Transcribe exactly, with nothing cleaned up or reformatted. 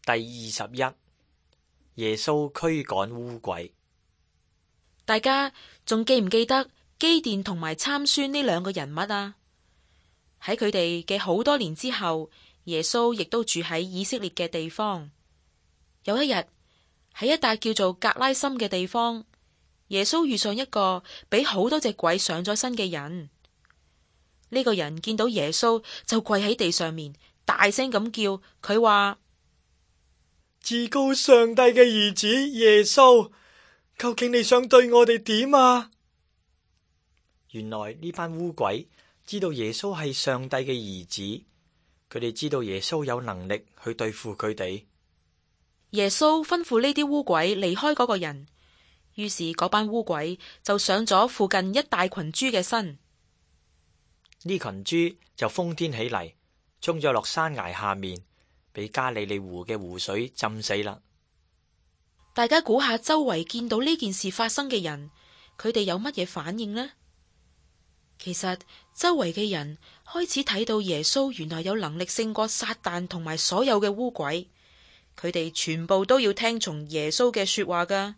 第二十一，耶穌驅趕污鬼。大家仲記唔記得基甸同埋參孫呢兩個人物啊？喺佢哋嘅好多年之後，耶穌亦都住喺以色列嘅地方。有一日喺一笪叫做格拉森嘅地方，耶穌遇上一個俾好多隻鬼上咗身嘅人。呢個人見到耶穌就跪喺地上面，大聲咁叫，佢話：至高上帝嘅兒子耶穌，究竟你想對我哋點啊？原來呢班污鬼知道耶穌係上帝嘅兒子，佢哋知道耶穌有能力去對付佢哋。耶穌吩咐呢啲污鬼離開嗰個人，於是嗰班污鬼就上咗附近一大群豬嘅身。呢群豬就瘋癲起嚟，衝咗落山崖下面，俾加利利湖嘅湖水浸死啦。大家估下周圍見到呢件事發生嘅人，佢哋有乜嘢反應呢？其實周圍嘅人開始睇到耶穌原來有能力勝過撒旦同埋所有嘅污鬼，佢哋全部都要聽從耶穌嘅說話噶。